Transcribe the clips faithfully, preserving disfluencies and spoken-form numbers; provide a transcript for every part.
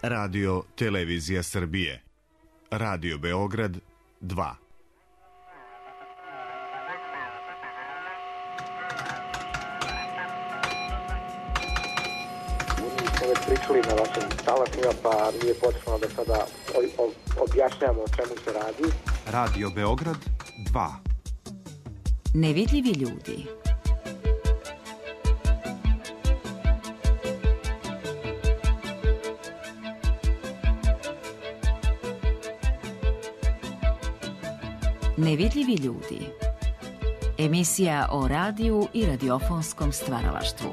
Radio Televizija Srbije. Radio Beograd dva. Smo već pričali na vašim talasima, pa nije potrebno da sada objašnjamo o čemu se radi. Radio Beograd dva. Nevidljivi ljudi. Nevidljivi ljudi. Emisija o radiju i radiofonskom stvaralaštvu.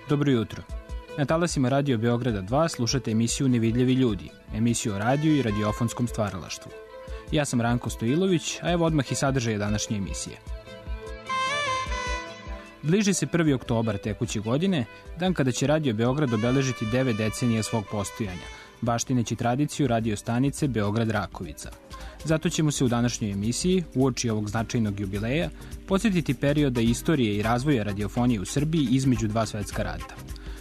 Dobro jutro. Na talasima Radio Beograda dva slušate emisiju Nevidljivi ljudi, emisiju o radiju i radiofonskom stvaralaštvu. Ja sam Ranko Stojilović, a evo odmah i sadržaje današnje emisije. Bliži se prvi oktobar tekuće godine, dan kada će Radio Beograd obeležiti devet decenija svog postojanja, baštineći tradiciju radio stanice Beograd Rakovica. Zato ćemo se u današnjoj emisiji, uoči ovog značajnog jubileja, podsjetiti perioda istorije i razvoja radiofonije u Srbiji između dva svetska rata.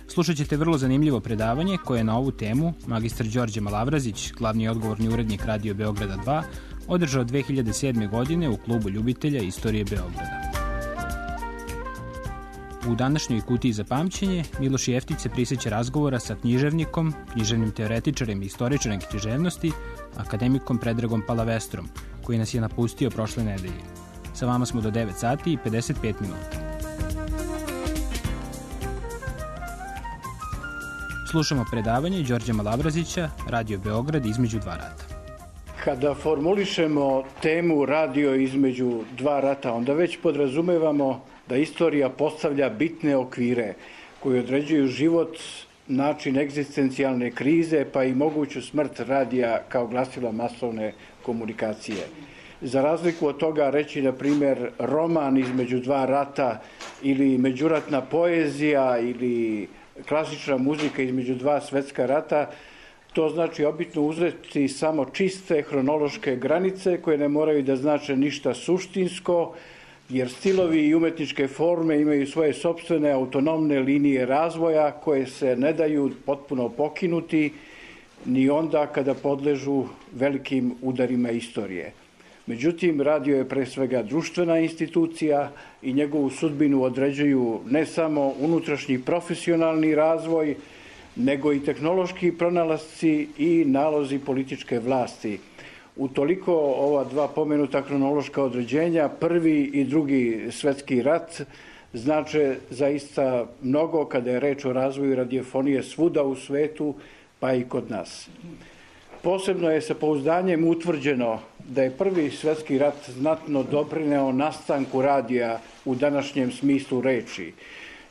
Slušat ćete vrlo zanimljivo predavanje koje je na ovu temu magistar Đorđe Malavrazić, glavni i odgovorni urednik Radio Beograda dva, održao dve hiljade sedme. godine u klubu ljubitelja istorije Beograda. U današnjoj kutiji za pamćenje Miloš Jeftić se prisjeća razgovora sa književnikom, književnim teoretičarem i istoričarem književnosti, akademikom Predragom Palavestrom, koji nas je napustio prošle nedelje. Sa vama smo do devet sati i pedeset pet minuta. Slušamo predavanje Đorđa Malavrazića, Radio Beograd između dva rata. Kada formulišemo temu radio između dva rata, onda već podrazumevamo da istorija postavlja bitne okvire koji određuju život, način egzistencijalne krize, pa i moguću smrt radija kao glasila masovne komunikacije. Za razliku od toga reći, na primjer, roman između dva rata ili međuratna poezija ili klasična muzika između dva svetska rata, to znači obitno uzeti samo čiste hronološke granice koje ne moraju da znače ništa suštinsko, jer stilovi i umetničke forme imaju svoje sopstvene autonomne linije razvoja koje se ne daju potpuno pokinuti ni onda kada podležu velikim udarima istorije. Međutim, radio je pre svega društvena institucija i njegovu sudbinu određuju ne samo unutrašnji profesionalni razvoj, nego i tehnološki pronalasci i nalozi političke vlasti. Utoliko ova dva pomenuta hronološka određenja, prvi i drugi svetski rat, znače zaista mnogo kada je reč o razvoju radiofonije svuda u svetu, pa i kod nas. Posebno je sa pouzdanjem utvrđeno da je prvi svetski rat znatno doprineo nastanku radija u današnjem smislu reči.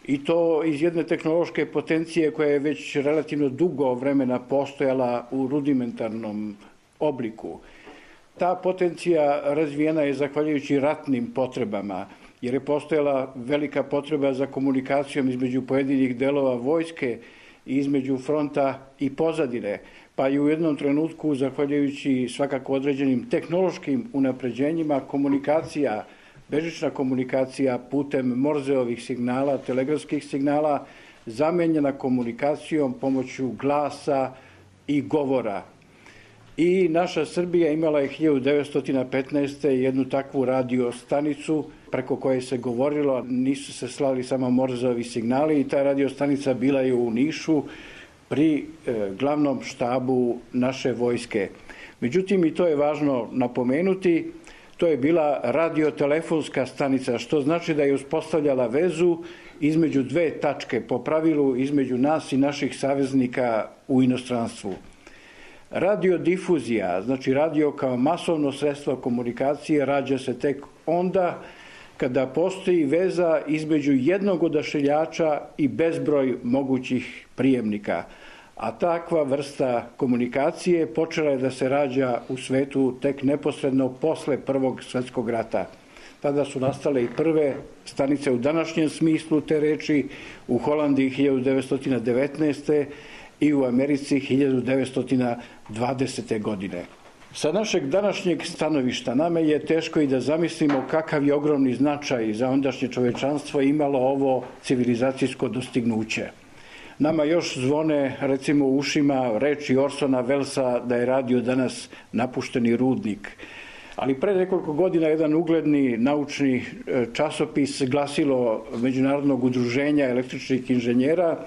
I to iz jedne tehnološke potencije koja je već relativno dugo vremena postojala u rudimentarnom obliku. Ta potencija razvijena je zahvaljujući ratnim potrebama, jer je postojala velika potreba za komunikacijom između pojedinih delova vojske i između fronta i pozadine, pa i u jednom trenutku, zahvaljujući svakako određenim tehnološkim unapređenjima, komunikacija, bežična komunikacija putem Morzeovih signala, telegrafskih signala, zamenjena komunikacijom pomoću glasa i govora. I naša Srbija imala je hiljadu devetsto petnaeste. jednu takvu radio stanicu preko koje se govorilo, nisu se slali samo Morzeovi signali, i ta radio stanica bila je u Nišu pri e, glavnom štabu naše vojske. Međutim, i to je važno napomenuti, to je bila radiotelefonska stanica, što znači da je uspostavljala vezu između dve tačke, po pravilu između nas i naših saveznika u inostranstvu. Radiodifuzija, znači radio kao masovno sredstvo komunikacije, rađa se tek onda kada postoji veza između jednog odašiljača i bezbroj mogućih prijemnika. A takva vrsta komunikacije počela je da se rađa u svetu tek neposredno posle Prvog svetskog rata. Tada su nastale i prve stanice u današnjem smislu te reči u Holandiji hiljadu devetsto devetnaeste. i u Americi hiljadu devetsto dvadesete. godine. Sa našeg današnjeg stanovišta nama je teško i da zamislimo kakav je ogromni značaj za ondašnje čovečanstvo imalo ovo civilizacijsko dostignuće. Nama još zvone, recimo u ušima, reči Orsona Wellesa da je radio danas napušteni rudnik. Ali pre nekoliko godina jedan ugledni naučni časopis, glasilo Međunarodnog udruženja električnih inženjera,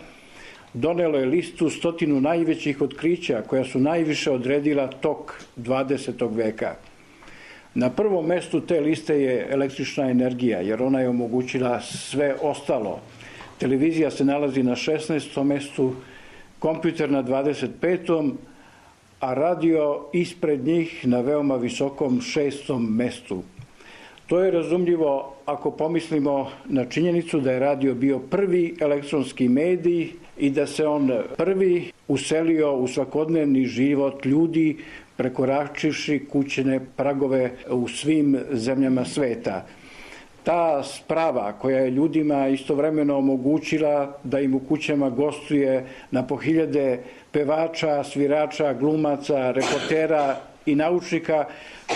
donelo je listu stotinu najvećih otkrića koja su najviše odredila tok dvadesetog veka. Na prvom mestu te liste je električna energija, jer ona je omogućila sve ostalo. Televizija se nalazi na šesnaestom mestu, kompjuter na dvadeset petom, a radio ispred njih na veoma visokom šestom mestu. To je razumljivo ako pomislimo na činjenicu da je radio bio prvi elektronski medij i da se on prvi uselio u svakodnevni život ljudi, prekoračivši kućne pragove u svim zemljama sveta. Ta sprava koja je ljudima istovremeno omogućila da im u kućama gostuje na po hiljade pevača, svirača, glumaca, reportera i naučnika,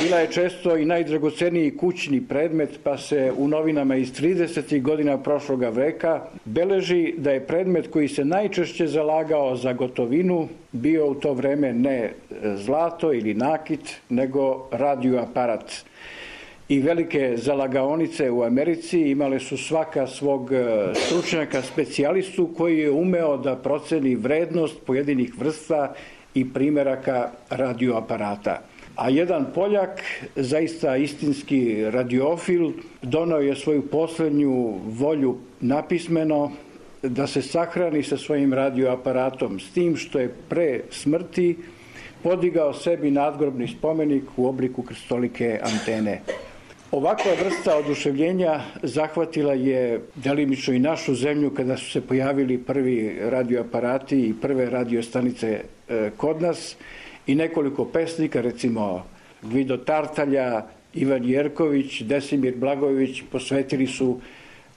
bila je često i najdragoceniji kućni predmet, pa se u novinama iz tridesetih godina prošloga veka beleži da je predmet koji se najčešće zalagao za gotovinu bio u to vreme ne zlato ili nakit, nego radioaparat. I velike zalagaonice u Americi imale su svaka svog stručnjaka specijalistu koji je umeo da proceni vrednost pojedinih vrsta i primeraka radioaparata. A jedan Poljak, zaista istinski radiofil, donao je svoju poslednju volju napismeno da se sahrani sa svojim radioaparatom, s tim što je pre smrti podigao sebi nadgrobni spomenik u obliku krstolike antene. Ovakva vrsta oduševljenja zahvatila je delimično i našu zemlju kada su se pojavili prvi radioaparati i prve radiostanice kod nas i nekoliko pesnika, recimo Gvido Tartalja, Ivan Jerković, Desimir Blagojević posvetili su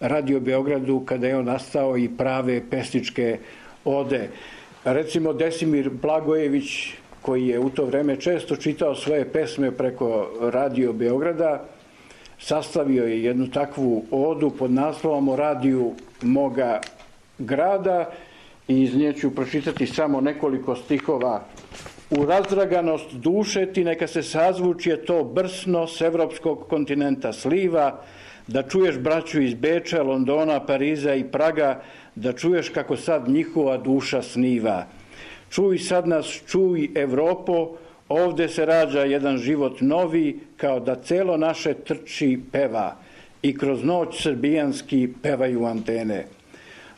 Radio Beogradu kada je on nastao i prave pesničke ode. Recimo Desimir Blagojević, koji je u to vreme često čitao svoje pesme preko Radio Beograda, sastavio je jednu takvu odu pod naslovom O radiju moga grada i iz nje ću pročitati samo nekoliko stihova. U razdraganost duše ti neka se sazvučje to brsno s evropskog kontinenta sliva, da čuješ braću iz Beča, Londona, Pariza i Praga, da čuješ kako sad njihova duša sniva. Čuj sad nas, čuj Evropo, ovde se rađa jedan život novi, kao da celo naše trči peva i kroz noć srbijanski pevaju antene.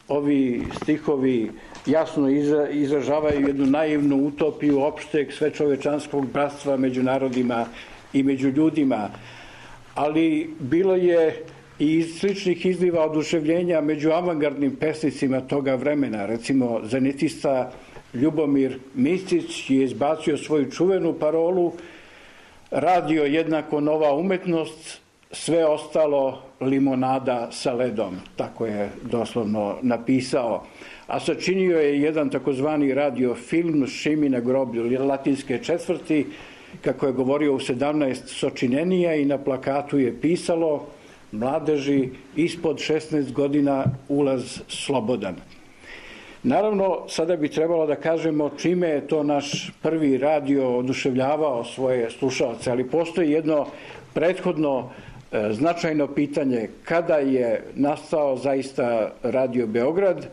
Ovi stihovi jasno izražavaju jednu naivnu utopiju opšteg svečovečanskog bratstva među narodima i među ljudima, ali bilo je i sličnih izliva oduševljenja među avangardnim pesnicima toga vremena. Recimo, zanitista Ljubomir Miscić je izbacio svoju čuvenu parolu radio jednako nova umetnost, sve ostalo limonada sa ledom. Tako je doslovno napisao. A sačinio je jedan takozvani radio film Šimi na groblju latinske četvrti, kako je govorio u sedamnaest sočinenija i na plakatu je pisalo mladeži ispod šesnaest godina ulaz slobodan. Naravno, sada bi trebalo da kažemo čime je to naš prvi radio oduševljavao svoje slušaoce, ali postoji jedno prethodno e, značajno pitanje kada je nastao zaista Radio Beograd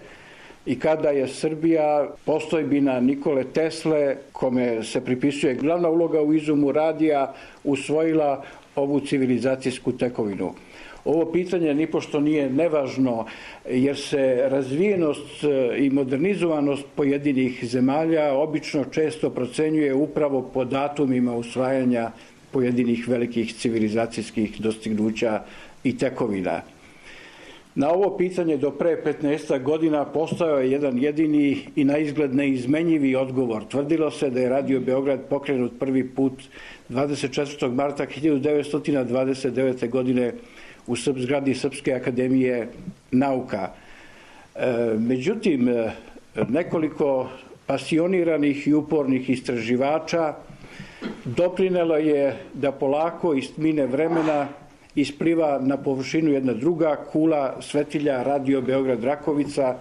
i kada je Srbija, postojbina Nikole Tesle, kome se pripisuje glavna uloga u izumu radija, usvojila ovu civilizacijsku tekovinu. Ovo pitanje nipošto nije nevažno, jer se razvijenost i modernizovanost pojedinih zemalja obično često procenjuje upravo po datumima usvajanja pojedinih velikih civilizacijskih dostignuća i tekovina. Na ovo pitanje do pre petnaest godina postojao je jedan jedini i na izgled neizmenjivi odgovor. Tvrdilo se da je Radio Beograd pokrenut prvi put dvadeset četvrtog marta hiljadu devetsto dvadeset devete. godine u zgradi Srpske akademije nauka. Međutim, nekoliko pasioniranih i upornih istraživača doprinelo je da polako iz tmine vremena ispliva na površinu jedna druga kula svetilja Radio Beograd Rakovica,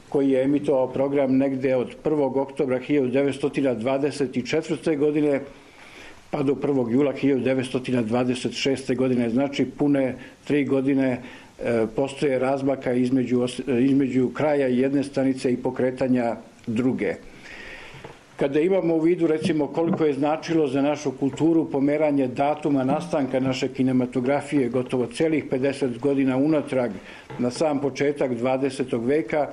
koji je emitovao program negde od prvog oktobra hiljadu devetsto dvadeset četvrte. godine pa do prvog jula hiljadu devetsto dvadeset šeste. godine. Znači pune tri godine e, postoje razmaka između, između kraja jedne stanice i pokretanja druge. Kada imamo u vidu recimo koliko je značilo za našu kulturu pomeranje datuma nastanka naše kinematografije gotovo celih pedeset godina unatrag na sam početak dvadesetog veka,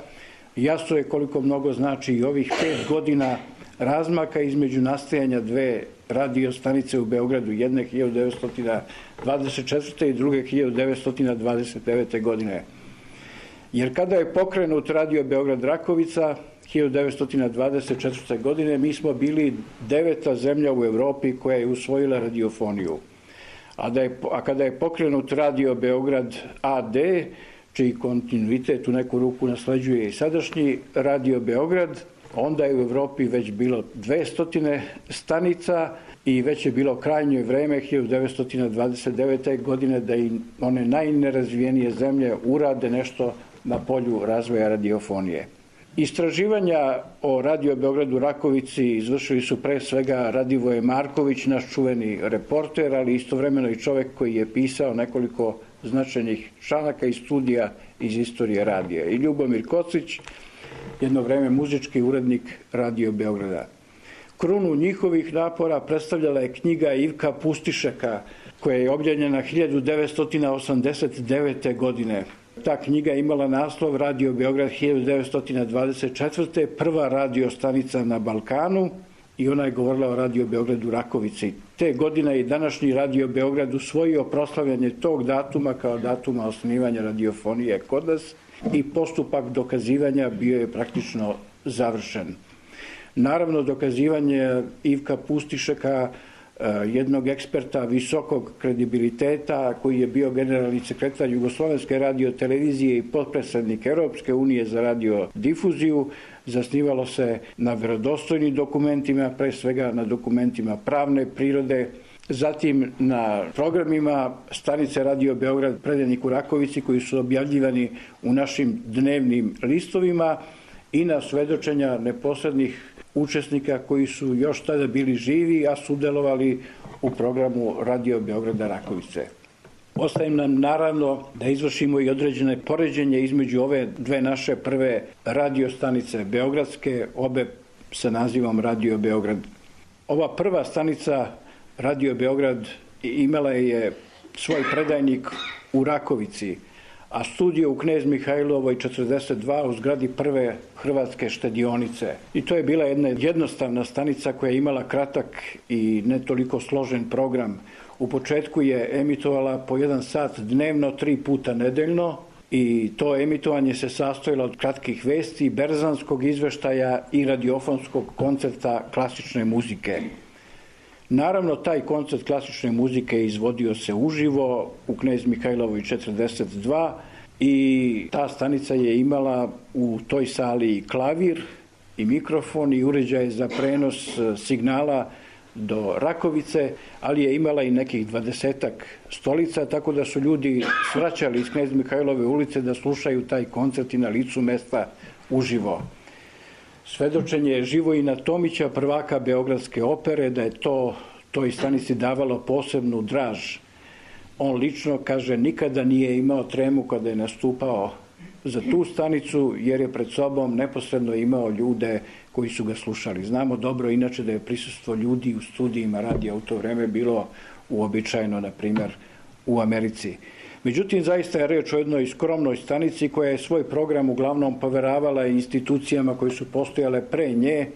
jasno je koliko mnogo znači i ovih pet godina razmaka između nastajanja dve radio stanice u Beogradu, jedne hiljadu devetsto dvadeset četvrte. i druge hiljadu devetsto dvadeset devete. godine. Jer kada je pokrenut Radio Beograd Rakovica hiljadu devetsto dvadeset četvrte. godine, mi smo bili deveta zemlja u Evropi koja je usvojila radiofoniju. A, da je, a kada je pokrenut Radio Beograd A D, čiji kontinuitet u neku ruku nasleđuje i sadašnji Radio Beograd, onda je u Evropi već bilo dvesta stanica i već je bilo krajnje vreme hiljadu devetsto dvadeset devete. godine da i one najnerazvijenije zemlje urade nešto na polju razvoja radiofonije. Istraživanja o Radio Beogradu Rakovici izvršili su pre svega Radivoje Marković, naš čuveni reporter, ali istovremeno i čovek koji je pisao nekoliko značajnih članaka i studija iz istorije radija. I Ljubomir Kocić, jedno vreme muzički urednik Radio Beograda. Krunu njihovih napora predstavljala je knjiga Ivka Pustišeka, koja je objavljena hiljadu devetsto osamdeset devete. godine. Ta knjiga je imala naslov Radio Beograd hiljadu devetsto dvadeset četvrte. prva radio stanica na Balkanu, i ona je govorila o Radio Beogradu Rakovici. Te godine i današnji Radio Beograd usvojio proslavljanje tog datuma kao datuma osnivanja radiofonije kod nas i postupak dokazivanja bio je praktično završen. Naravno, dokazivanje Ivka Pustišeka, jednog eksperta visokog kredibiliteta koji je bio generalni sekretar Jugoslovenske radiotelevizije i potpredsednik Europske unije za radiodifuziju, zasnivalo se na verodostojnim dokumentima, pre svega na dokumentima pravne prirode, zatim na programima stanice Radio Beograd predanih u Rakovici koji su objavljivani u našim dnevnim listovima i na svedočenja neposrednih učesnika koji su još tada bili živi, a sudelovali u programu Radio Beograda Rakovice. Ostaje nam naravno da izvršimo i određene poređenje između ove dve naše prve radio stanice beogradske, obe sa nazivom Radio Beograd. Ova prva stanica Radio Beograd imala je svoj predajnik u Rakovici, a studio u Knez Mihajlovoj četrdeset dva u zgradi prve Hrvatske štedionice. I to je bila jedna jednostavna stanica koja je imala kratak i ne toliko složen program. U početku je emitovala po jedan sat dnevno, tri puta nedeljno, i to emitovanje se sastojilo od kratkih vesti, berzanskog izveštaja i radiofonskog koncerta klasične muzike. Naravno, taj koncert klasične muzike izvodio se uživo u Knez Mihajlovoj četrdeset dva i ta stanica je imala u toj sali i klavir i mikrofon i uređaje za prenos signala do Rakovice, ali je imala i nekih dvadesetak stolica, tako da su ljudi svraćali iz Knez Mihajlove ulice da slušaju taj koncert i na licu mesta uživo. Svedočenje Živojina Tomića, prvaka Beogradske opere, da je to toj stanici davalo posebnu draž. On lično, kaže, nikada nije imao tremu kada je nastupao za tu stanicu, jer je pred sobom neposredno imao ljude koji su ga slušali. Znamo dobro inače da je prisustvo ljudi u studijima radija u to vreme bilo uobičajeno, na primjer, u Americi. Međutim, zaista je reč o jednoj skromnoj stanici koja je svoj program uglavnom poveravala institucijama koje su postojale pre nje,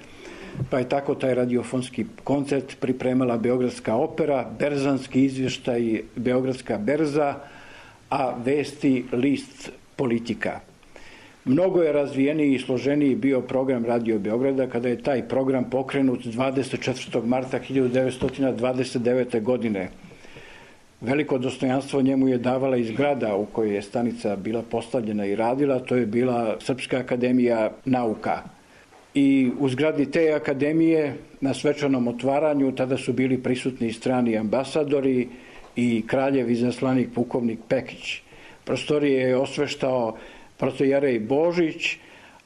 pa je tako taj radiofonski koncert pripremala Beogradska opera, berzanski izvještaj Beogradska berza, a vesti list Politika. Mnogo je razvijeniji i složeniji bio program Radio Beograda kada je taj program pokrenut dvadeset četvrtog marta hiljadu devetsto dvadeset devete. godine. Veliko dostojanstvo njemu je davala i zgrada u kojoj je stanica bila postavljena i radila, to je bila Srpska akademija nauka. i u zgradi te akademije na svečanom otvaranju tada su bili prisutni strani ambasadori i kraljev izaslanik pukovnik Pekić. Prostorije je osveštao protojerej Božić,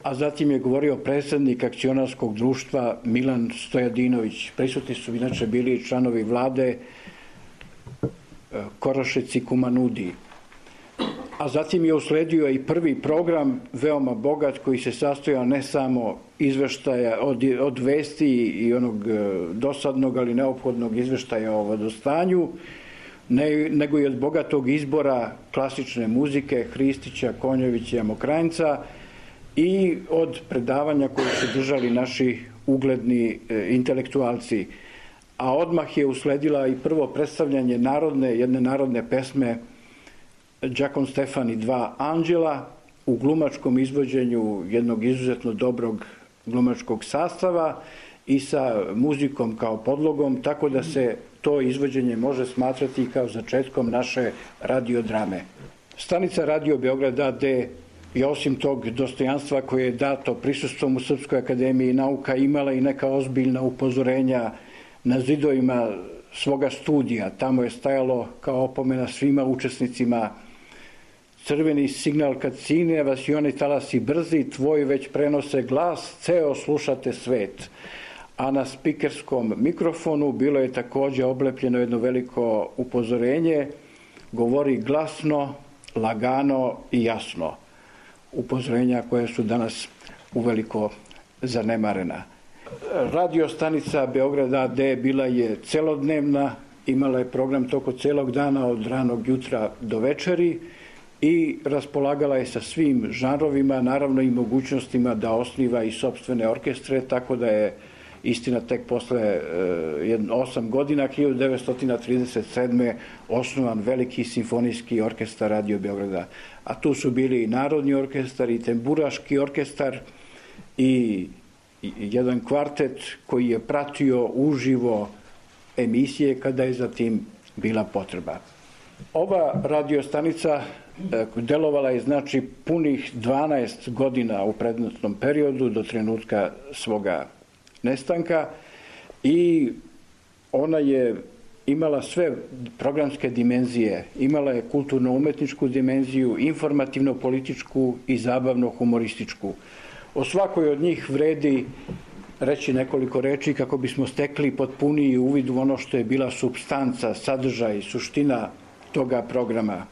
a zatim je govorio predsjednik akcionarskog društva Milan Stojadinović. Prisutni su inače bili članovi vlade Korošec i Kumanudi. A zatim je usledio i prvi program, veoma bogat, koji se sastojao ne samo izveštaja od, od vesti i onog dosadnog, ali neophodnog izveštaja o vodostanju, ne, nego i od bogatog izbora klasične muzike Hristića, Konjovića i Mokrajnca i od predavanja koje su držali naši ugledni e, intelektualci. A odmah je usledila i prvo predstavljanje narodne, jedne narodne pesme Đakon Stefan i dva anđela u glumačkom izvođenju jednog izuzetno dobrog glumačkog sastava i sa muzikom kao podlogom, tako da se to izvođenje može smatrati kao začetkom naše radiodrame. Stanica Radio Beograd A D je osim tog dostojanstva koje je dato prisustvom u Srpskoj akademiji nauka imala i neka ozbiljna upozorenja na zidovima svoga studija. Tamo je stajalo kao opomena svima učesnicima: crveni signal kad sine vas i oni talasi brzi, tvoj već prenose glas, ceo slušate svet. A na spikerskom mikrofonu bilo je također oblepljeno jedno veliko upozorenje: govori glasno, lagano i jasno. Upozorenja koje su danas uveliko zanemarena. Radio stanica Beograd A D bila je celodnevna, imala je program toko celog dana od ranog jutra do večeri i raspolagala je sa svim žanrovima, naravno i mogućnostima da osniva i sopstvene orkestre, tako da je istina tek posle osam godina, hiljadu devetsto trideset sedme. osnovan veliki simfonijski orkestar Radio Beograda. A tu su bili i Narodni orkestar i Tamburaški orkestar i jedan kvartet koji je pratio uživo emisije kada je za tim bila potreba. Ova radiostanica delovala je znači punih dvanaest godina u predmetnom periodu do trenutka svoga nestanka i ona je imala sve programske dimenzije. Imala je kulturno-umetničku dimenziju, informativno-političku i zabavno-humorističku. O svakoj od njih vredi reći nekoliko reči kako bismo stekli potpuniji uvid u ono što je bila supstanca, sadržaj, suština toga programa.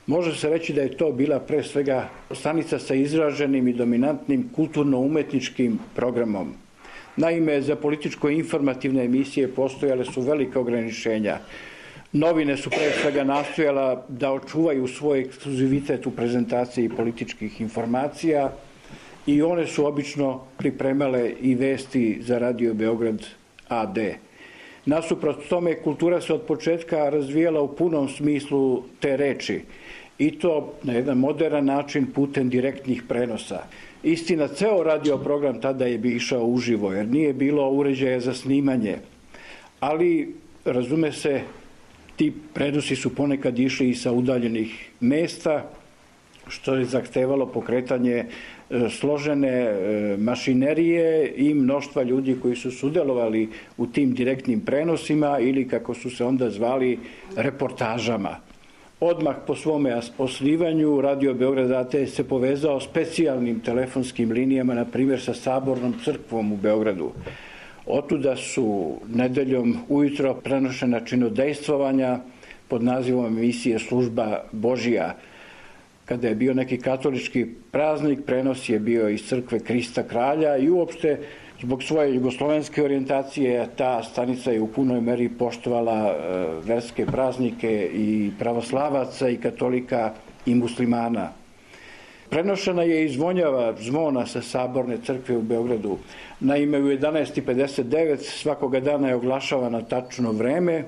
Može se reći da je to bila pre svega stanica sa izraženim i dominantnim kulturno-umetničkim programom. Naime, za političko-informativne emisije postojale su velike ograničenja. Novine su pre svega nastojala da očuvaju svoj ekskluzivitet u prezentaciji političkih informacija i one su obično pripremale i vesti za Radio Beograd A D. Nasuprot tome, kultura se od početka razvijala u punom smislu te reči i to na jedan moderan način putem direktnih prenosa. Istina, ceo radio program tada je bi išao uživo, jer nije bilo uređaja za snimanje, ali razume se, ti prenosi su ponekad išli i sa udaljenih mesta, što je zahtevalo pokretanje složene mašinerije i mnoštva ljudi koji su sudelovali u tim direktnim prenosima ili, kako su se onda zvali, reportažama. Odmah po svome osnivanju Radio Beograd A D se povezao specijalnim telefonskim linijama, na primjer sa Sabornom crkvom u Beogradu. Otuda su nedeljom ujutro prenošena činodejstvovanja pod nazivom emisije Služba Božija. Kada je bio neki katolički praznik, prenos je bio iz crkve Krista Kralja i uopšte zbog svoje jugoslovenske orijentacije ta stanica je u punoj meri poštovala verske praznike i pravoslavaca i katolika i muslimana. Prenošena je i zvonjava zvona sa Saborne crkve u Beogradu. Naime, u jedanaest pedeset devet svakoga dana je oglašavana tačno vreme,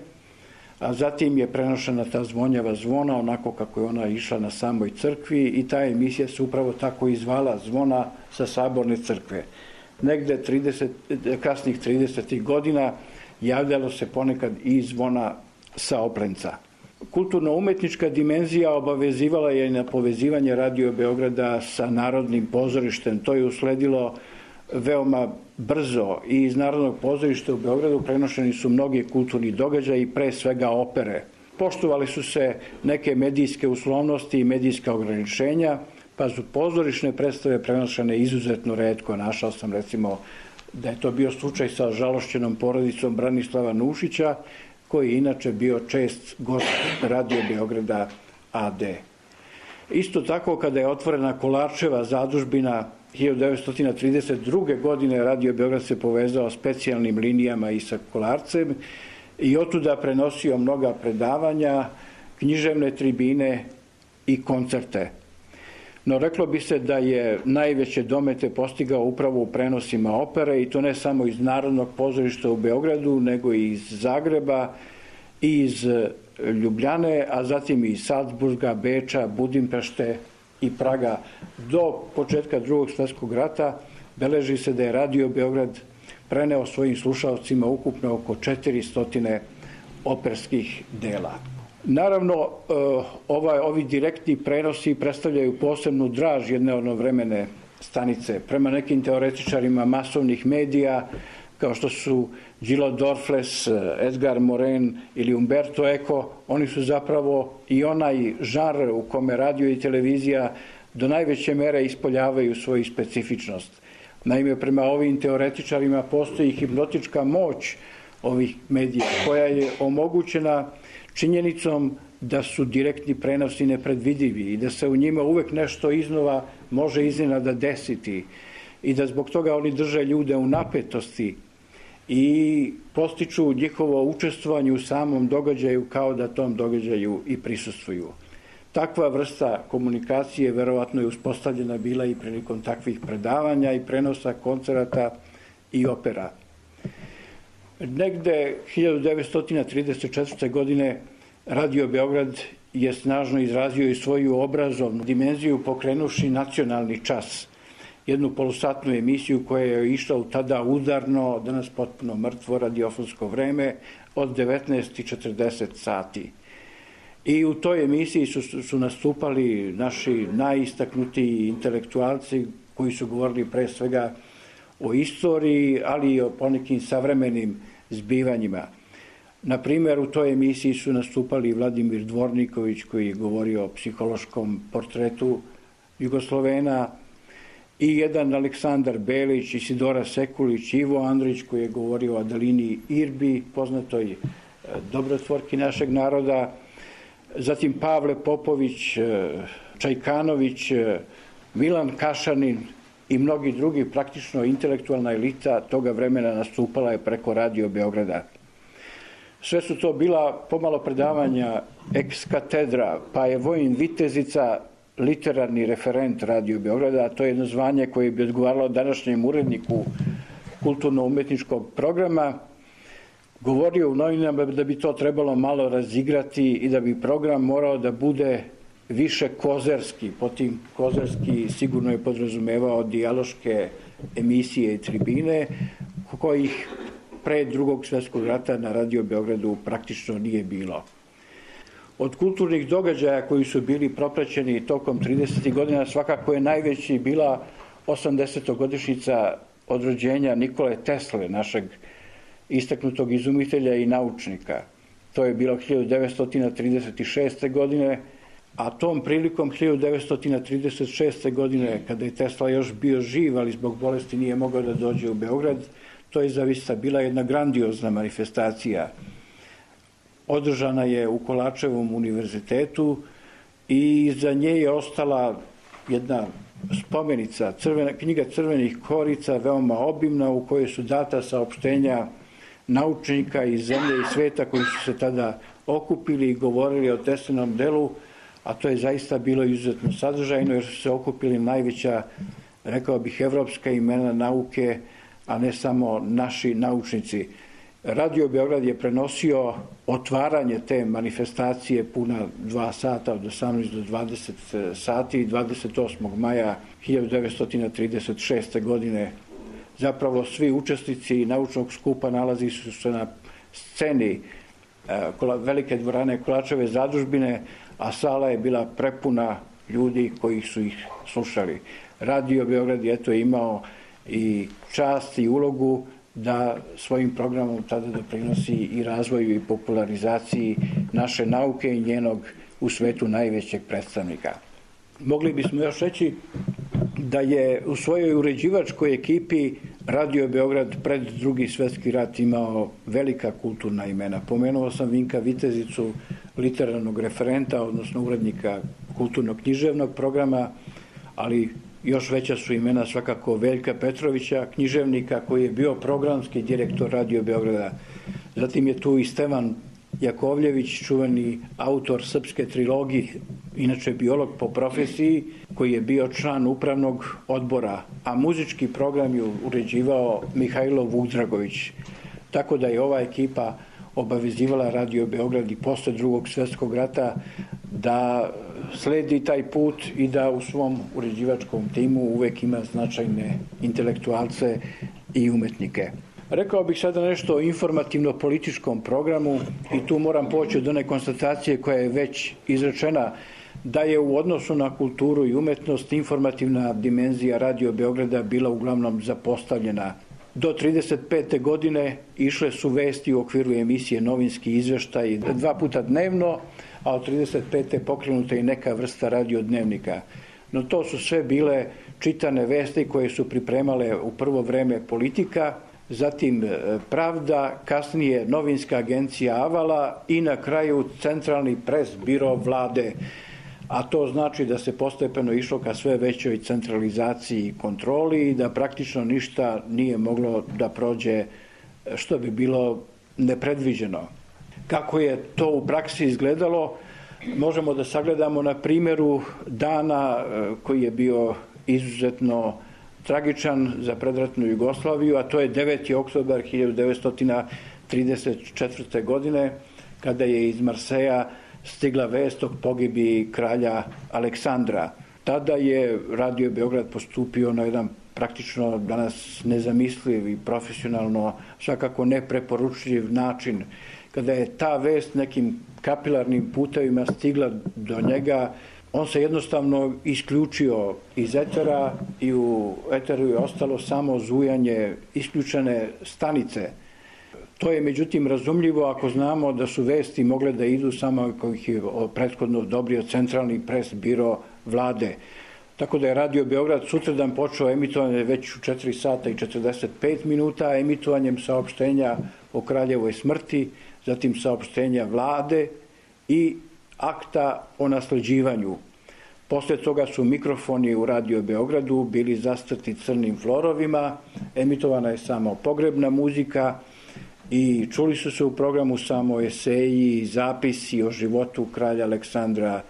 a zatim je prenošena ta zvonjava zvona onako kako je ona išla na samoj crkvi i ta emisija se upravo tako i zvala, Zvona sa Saborne crkve. Negde trideset, kasnih tridesetih godina javljalo se ponekad i zvona sa Oplenca. Kulturno-umetnička dimenzija obavezivala je na povezivanje Radio Beograda sa Narodnim pozorištem. To je usledilo veoma brzo i iz Narodnog pozorišta u Beogradu prenošeni su mnogi kulturni događaji, pre svega opere. Poštovali su se neke medijske uslovnosti i medijska ograničenja, pa su pozorišne predstave prenošene izuzetno retko. Našao sam recimo da je to bio slučaj sa žalošćenom porodicom Branislava Nušića, koji je inače bio čest gost Radio Beograda a de. Isto tako, kada je otvorena Kolarčeva zadužbina hiljadu devetsto trideset druge. godine, Radio Beograd se povezao specijalnim linijama i sa Kolarcem i otuda prenosio mnoga predavanja, književne tribine i koncerte. No reklo bi se da je najveće domete postigao upravo u prenosima opere, i to ne samo iz Narodnog pozorišta u Beogradu, nego i iz Zagreba i iz Ljubljane, a zatim i iz Salzburga, Beča, Budimpešte i Praga. Do početka Drugog svjetskog rata beleži se da je Radio Beograd preneo svojim slušalcima ukupno oko četiristo operskih dela. Naravno, ovaj, ovi direktni prenosi predstavljaju posebnu draž jedne onovremene stanice. Prema nekim teoretičarima masovnih medija, kao što su Gillo Dorfles, Edgar Morin ili Umberto Eco, oni su zapravo i onaj žanr u kome radio i televizija do najveće mere ispoljavaju svoju specifičnost. Naime, prema ovim teoretičarima postoji hipnotička moć ovih medija, koja je omogućena činjenicom da su direktni prenosi nepredvidivi i da se u njima uvek nešto iznova može iznenada desiti i da zbog toga oni drže ljude u napetosti i postiču njihovo učestvovanje u samom događaju kao da tom događaju i prisustvuju. Takva vrsta komunikacije verovatno je uspostavljena bila i prilikom takvih predavanja i prenosa koncerata i opera. Negde hiljadu devetsto trideset četvrte. godine Radio Beograd je snažno izrazio i svoju obrazovnu dimenziju pokrenuši Nacionalni čas, jednu polusatnu emisiju koja je išla u tada udarno, danas potpuno mrtvo radiofonsko vreme, od devetnaest i četrdeset sati. I u toj emisiji su, su nastupali naši najistaknutiji intelektualci koji su govorili pre svega o istoriji, ali i o ponekim savremenim zbivanjima. Na primjer, u toj emisiji su nastupali Vladimir Dvorniković, koji je govorio o psihološkom portretu Jugoslovena, i jedan Aleksandar Belić, Isidora Sekulić, Ivo Andrić, koji je govorio o Adelini Irbi, poznatoj dobrotvorki našeg naroda, zatim Pavle Popović, Čajkanović, Milan Kašanin i mnogi drugi. Praktično intelektualna elita toga vremena nastupala je preko Radio Beograda. Sve su to bila pomalo predavanja ex katedra, pa je Vojin Vitezica literarni referent Radio Beograda, a to je jedno zvanje koje bi odgovaralo današnjem uredniku kulturno-umetničkog programa, govorio u novinama da bi to trebalo malo razigrati i da bi program morao da bude više kozerski. Po tim kozerski sigurno je podrazumevao dijaloške emisije i tribine, kojih pre Drugog svjetskog rata na Radio Beogradu praktično nije bilo. Od kulturnih događaja koji su bili propraćeni tokom tridesetih godina svakako je najveći bila osamdesetogodišnjica od rođenja Nikole Tesle, našeg istaknutog izumitelja i naučnika. To je bilo hiljadu devetsto trideset šeste. godine, a tom prilikom hiljadu devetsto trideset šeste. godine, kada je Tesla još bio živ, ali zbog bolesti nije mogao da dođe u Beograd, to je zaista bila jedna grandiozna manifestacija. Održana je u Kolarčevom univerzitetu i za nje je ostala jedna spomenica, crvena, knjiga crvenih korica, veoma obimna, u kojoj su data saopštenja naučnika iz zemlje i sveta koji su se tada okupili i govorili o Teslinom delu, a to je zaista bilo izuzetno sadržajno jer su se okupili najveća, rekao bih, evropska imena nauke, a ne samo naši naučnici. Radio Beograd je prenosio otvaranje te manifestacije puna dva sata, od osamnaest do dvadeset sati, dvadeset osmog maja hiljadu devetsto trideset šeste. godine. Zapravo svi učesnici naučnog skupa nalazi su se na sceni velike dvorane Kolarčeve zadužbine, a sala je bila prepuna ljudi koji su ih slušali. Radio Beograd je eto imao i čast i ulogu da svojim programom tada doprinosi i razvoju i popularizaciji naše nauke i njenog u svetu najvećeg predstavnika. Mogli bismo još reći da je u svojoj uređivačkoj ekipi Radio Beograd pred Drugi svjetski rat imao velika kulturna imena. Pomenuo sam Vinka Vitezicu, literarnog referenta, odnosno urednika kulturno-književnog programa, ali još veća su imena svakako Veljka Petrovića, književnika koji je bio programski direktor Radio Beograda. Zatim je tu i Stevan Jakovljević, čuveni autor srpske trilogije, inače biolog po profesiji, koji je bio član upravnog odbora, a muzički program je uređivao Mihajlo Vukdragović. Tako da je ova ekipa obavezivala Radio Beograd i posle Drugog svjetskog rata da sledi taj put i da u svom uređivačkom timu uvek ima značajne intelektualce i umetnike. Rekao bih sada nešto o informativno-političkom programu i tu moram poći od one konstatacije koja je već izrečena, da je u odnosu na kulturu i umetnost informativna dimenzija Radio Beograda bila uglavnom zapostavljena. Do trideset pete godine išle su vesti u okviru emisije Novinski izveštaj dva puta dnevno, a od trideset pete pokrenuta i neka vrsta radiodnevnika. No to su sve bile čitane vesti koje su pripremale u prvo vreme Politika, zatim Pravda, kasnije Novinska agencija Avala i na kraju Centralni pres biro vlade. A to znači da se postepeno išlo ka sve većoj centralizaciji i kontroli i da praktično ništa nije moglo da prođe što bi bilo nepredviđeno. Kako je to u praksi izgledalo, možemo da sagledamo na primjeru dana koji je bio izuzetno tragičan za predratnu Jugoslaviju, a to je deveti oktobar hiljadu devetsto trideset četvrte. godine, kada je iz Marseja stigla vest o pogibiji kralja Aleksandra. Tada je Radio Beograd postupio na jedan praktično danas nezamisliv i profesionalno svakako nepreporučljiv način. Kada je ta vest nekim kapilarnim putevima stigla do njega, on se jednostavno isključio iz etera i u eteru je ostalo samo zujanje isključene stanice. To je međutim razumljivo ako znamo da su vesti mogle da idu samo ako ih je prethodno odobrio Centralni pres biro vlade. Tako da je Radio Beograd sutradan počeo emitovanje već u četiri sata i četrdeset pet minuta, emitovanjem saopštenja o kraljevoj smrti, zatim saopštenja vlade i akta o nasleđivanju. Posle toga su mikrofoni u Radio Beogradu bili zastrti crnim florovima, emitovana je samo pogrebna muzika i čuli su se u programu samo eseji i zapisi o životu kralja Aleksandra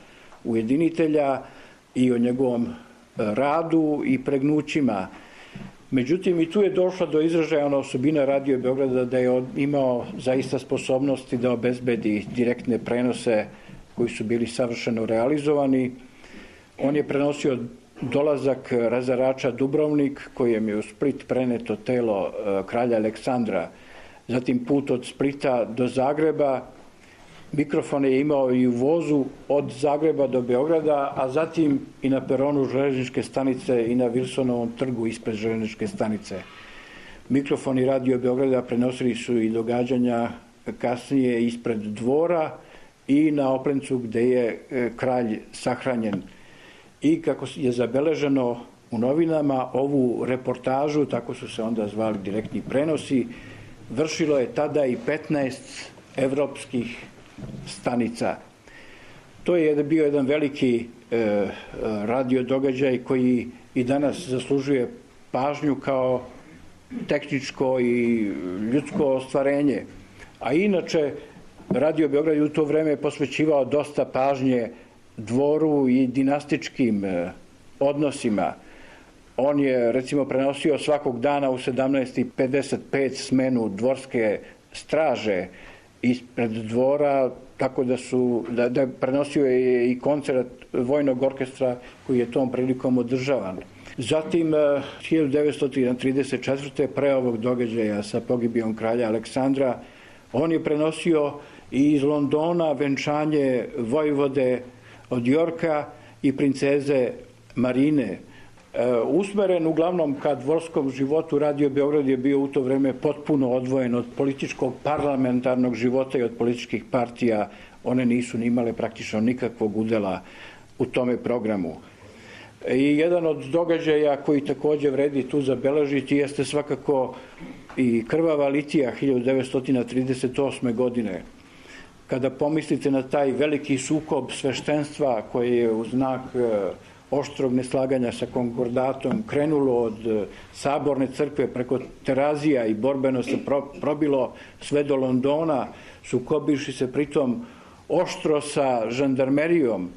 Ujedinitelja i o njegovom radu i pregnućima. Međutim, i tu je došla do izražaja ona osobina Radio Beograda da je imao zaista sposobnosti da obezbedi direktne prenose koji su bili savršeno realizovani. On je prenosio dolazak razarača Dubrovnik, kojem je u Split preneto telo kralja Aleksandra, zatim put od Splita do Zagreba. Mikrofone je imao i u vozu od Zagreba do Beograda, a zatim i na peronu železničke stanice i na Wilsonovom trgu ispred železničke stanice. Mikrofoni Radio Beograda prenosili su i događanja kasnije ispred dvora i na Oplencu gde je kralj sahranjen. I kako je zabeleženo u novinama, ovu reportažu, tako su se onda zvali direktni prenosi, vršilo je tada i petnaest evropskih stanica. To je bio jedan veliki e, radio događaj koji i danas zaslužuje pažnju kao tehničko i ljudsko ostvarenje. A inače, Radio Beograd je u to vreme posvećivao dosta pažnje dvoru i dinastičkim e, odnosima. On je, recimo, prenosio svakog dana u sedamnaest i pedeset pet smenu dvorske straže ispred dvora, tako da su, da, da prenosio je i koncert vojnog orkestra koji je tom prilikom održavan. Zatim, hiljadu devetsto trideset četvrte. pre ovog događaja sa pogibijom kralja Aleksandra, on je prenosio i iz Londona venčanje vojvode od Yorka i princeze Marine. Usmeren uglavnom ka dvorskom životu, Radio Beograd je bio u to vreme potpuno odvojen od političkog parlamentarnog života i od političkih partija. One nisu ni imale praktično nikakvog udela u tome programu. I jedan od događaja koji također vredi tu zabeležiti jeste svakako i krvava litija hiljadu devetsto trideset osme. godine. Kada pomislite na taj veliki sukob sveštenstva koje je u znak oštrog neslaganja sa konkordatom krenulo od Saborne crkve preko Terazija i borbeno se probilo sve do Londona, sukobivši se pritom oštro sa žandarmerijom,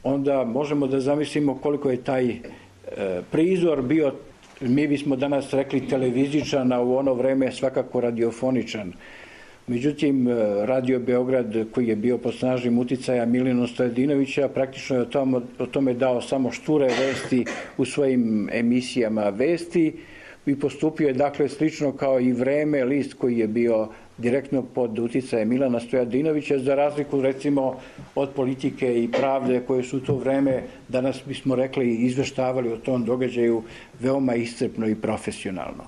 onda možemo da zamislimo koliko je taj prizor bio, mi bismo danas rekli televizičan, a u ono vreme svakako radiofoničan. Međutim, Radio Beograd, koji je bio pod snažnim uticaja Milina Stojadinovića, praktično je o tome, o tome dao samo šture vesti u svojim emisijama vesti i postupio je dakle slično kao i Vreme, list koji je bio direktno pod uticajem Milana Stojadinovića, za razliku recimo od Politike i Pravde koje su u to vreme, danas bismo rekli, izveštavali o tom događaju veoma iscrpno i profesionalno.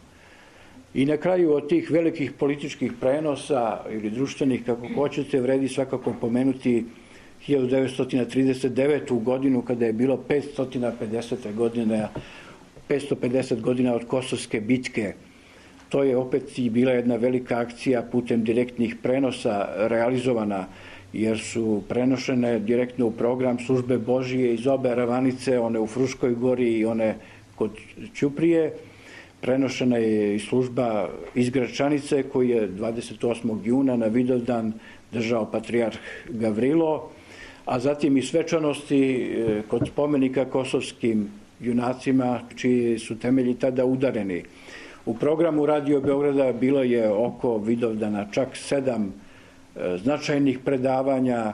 I na kraju od tih velikih političkih prenosa ili društvenih, kako hoćete, vredi svakako pomenuti hiljadu devetsto trideset devetu. godinu kada je bilo petsto pedeset godina, petsto pedeset godina od Kosovske bitke. To je opet i bila jedna velika akcija putem direktnih prenosa realizovana, jer su prenošene direktno u program Službe Božije iz obe ravanice, one u Fruškoj gori i one kod Ćuprije. Prenošena je i služba iz Gračanice koji je dvadeset osmog juna na Vidovdan držao patrijarh Gavrilo, a zatim i svečanosti kod spomenika kosovskim junacima čiji su temelji tada udareni. U programu Radio Beograda bilo je oko Vidovdana čak sedam značajnih predavanja,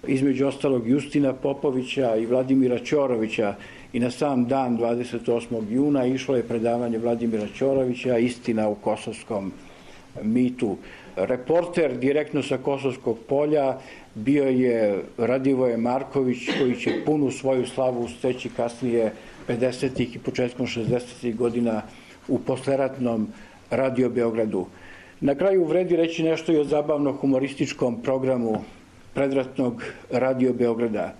između ostalog Justina Popovića i Vladimira Ćorovića, i na sam dan dvadeset osmog juna išlo je predavanje Vladimira Ćorovića Istina u kosovskom mitu. Reporter direktno sa Kosovskog polja bio je Radivoje Marković, koji će punu svoju slavu steći kasnije pedesetih i početkom šezdesetih godina u posleratnom Radio Beogradu. Na kraju vredi reći nešto i o zabavno-humorističkom programu predratnog Radio Beograda.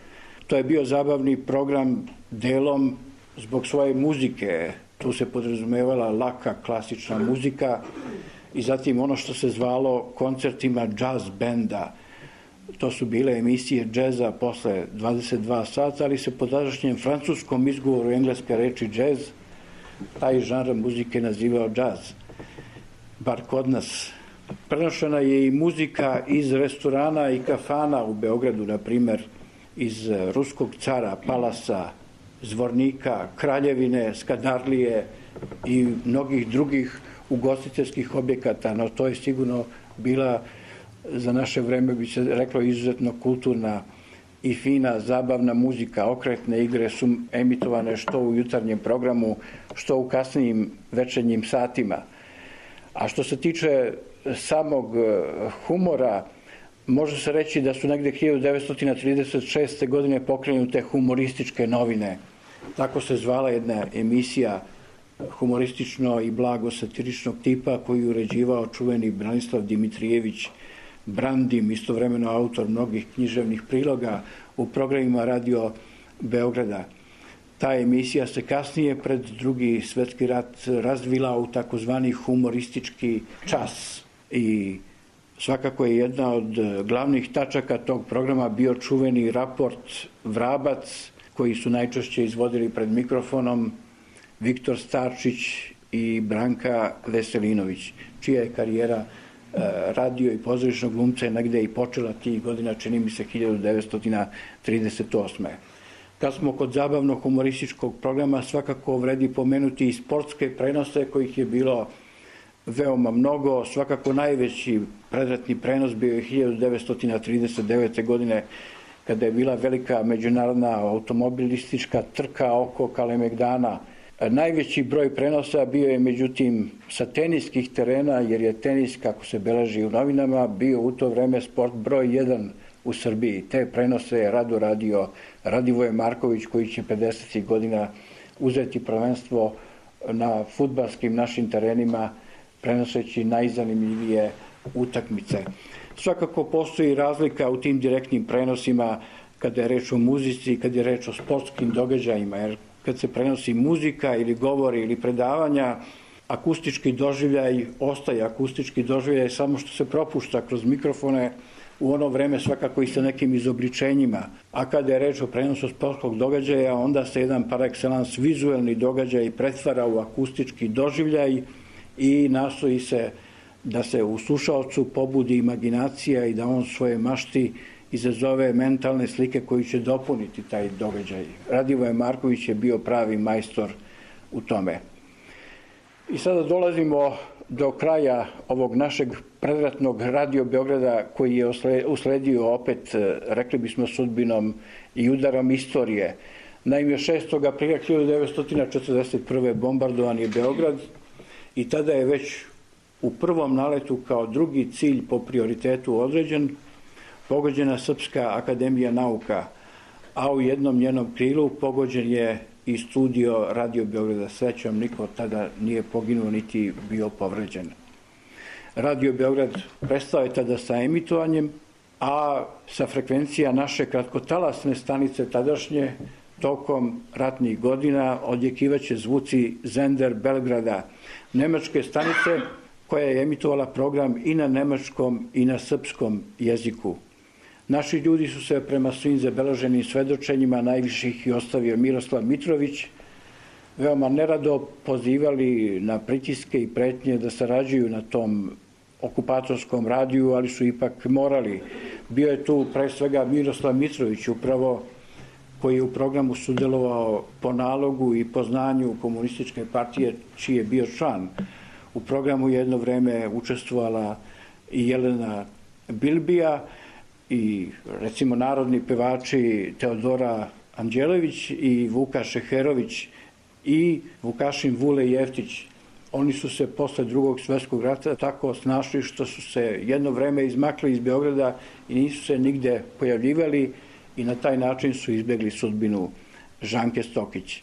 To je bio zabavni program delom zbog svoje muzike. Tu se podrazumevala laka klasična muzika i zatim ono što se zvalo koncertima jazz benda. To su bile emisije džeza posle dvadeset dva sata, ali se po tadašnjem francuskom izgovoru engleske reči jazz taj žanr muzike nazivao jazz. Bar kod nas. Prenošena je i muzika iz restorana i kafana u Beogradu, na primer iz Ruskog cara, Palasa, Zvornika, Kraljevine, Skadarlije i mnogih drugih ugostiteljskih objekata, no to je sigurno bila, za naše vreme bi se reklo, izuzetno kulturna i fina, zabavna muzika. Okretne igre su emitovane što u jutarnjem programu, što u kasnijim večernjim satima. A što se tiče samog humora, može se reći da su negde hiljadu devetsto trideset šeste. godine pokrenute humorističke novine. Tako se zvala jedna emisija humoristično i blago satiričnog tipa koju je uređivao čuveni Branislav Dimitrijević Brandim, istovremeno autor mnogih književnih priloga u programima Radio Beograda. Ta emisija se kasnije pred Drugi svetski rat razvila u takozvani humoristički čas i svakako je jedna od glavnih tačaka tog programa bio čuveni raport Vrabac, koji su najčešće izvodili pred mikrofonom Viktor Starčić i Branka Veselinović, čija je karijera radio i pozorišnog glumca je negde i počela tih godina, čini mi se hiljadu devetsto trideset osme. Kad smo kod zabavno-humorističkog programa, svakako vredi pomenuti i sportske prenose kojih je bilo veoma mnogo. Svakako najveći predratni prenos bio je hiljadu devetsto trideset devete. godine kada je bila velika međunarodna automobilistička trka oko Kalemegdana. Najveći broj prenosa bio je međutim sa teniskih terena, jer je tenis, kako se beleži u novinama, bio u to vreme sport broj jedan u Srbiji. Te prenose je rado radio Radivoje Marković, koji će pedesetih godina uzeti prvenstvo na fudbalskim našim terenima, prenoseći najzanimljivije utakmice. Svakako postoji razlika u tim direktnim prenosima kada je reč o muzici, kada je reč o sportskim događajima, jer kad se prenosi muzika ili govori ili predavanja, akustički doživljaj ostaje akustički doživljaj samo što se propušta kroz mikrofone, u ono vreme svakako i sa nekim izobličenjima. A kada je reč o prenosu sportskog događaja, onda se jedan par excellence vizuelni događaj pretvara u akustički doživljaj i nastoji se da se u slušaocu pobudi imaginacija i da on svoje mašti izazove mentalne slike koji će dopuniti taj događaj. Radivoje Marković je bio pravi majstor u tome. I sada dolazimo do kraja ovog našeg predratnog Radio Beograda koji je usledio opet, rekli bismo, sudbinom i udarom istorije. Naime, šestog aprila hiljadu devetsto četrdeset prve bombardovan je Beograd i tada je već u prvom naletu kao drugi cilj po prioritetu određen pogođena Srpska akademija nauka, a u jednom njenom krilu pogođen je i studio Radio Beograda. Srećom, niko tada nije poginuo niti bio povređen. Radio Beograd prestao je tada sa emitovanjem, a sa frekvencija naše kratkotalasne stanice tadašnje tokom ratnih godina odjekivaće zvuci Zender Belgrada, nemačke stanice koja je emitovala program i na nemačkom i na srpskom jeziku. Naši ljudi su se prema svim zabeleženim svedočenjima najviše ih i ostavio Miroslav Mitrović, veoma nerado pozivali na pritiske i pretnje da sarađuju na tom okupatorskom radiju, ali su ipak morali. Bio je tu pre svega Miroslav Mitrović upravo, koji je u programu sudjelovao po nalogu i po znanju komunističke partije, čiji je bio član. U programu jedno vreme učestvovala i Jelena Bilbija i recimo narodni pevači Teodora Anđelović i Vuka Šeherović i Vukašin Vule Jeftić. Oni su se posle drugog svjetskog rata tako snašli što su se jedno vreme izmakli iz Beograda i nisu se nigde pojavljivali i na taj način su izbjegli sudbinu Žanke Stokić.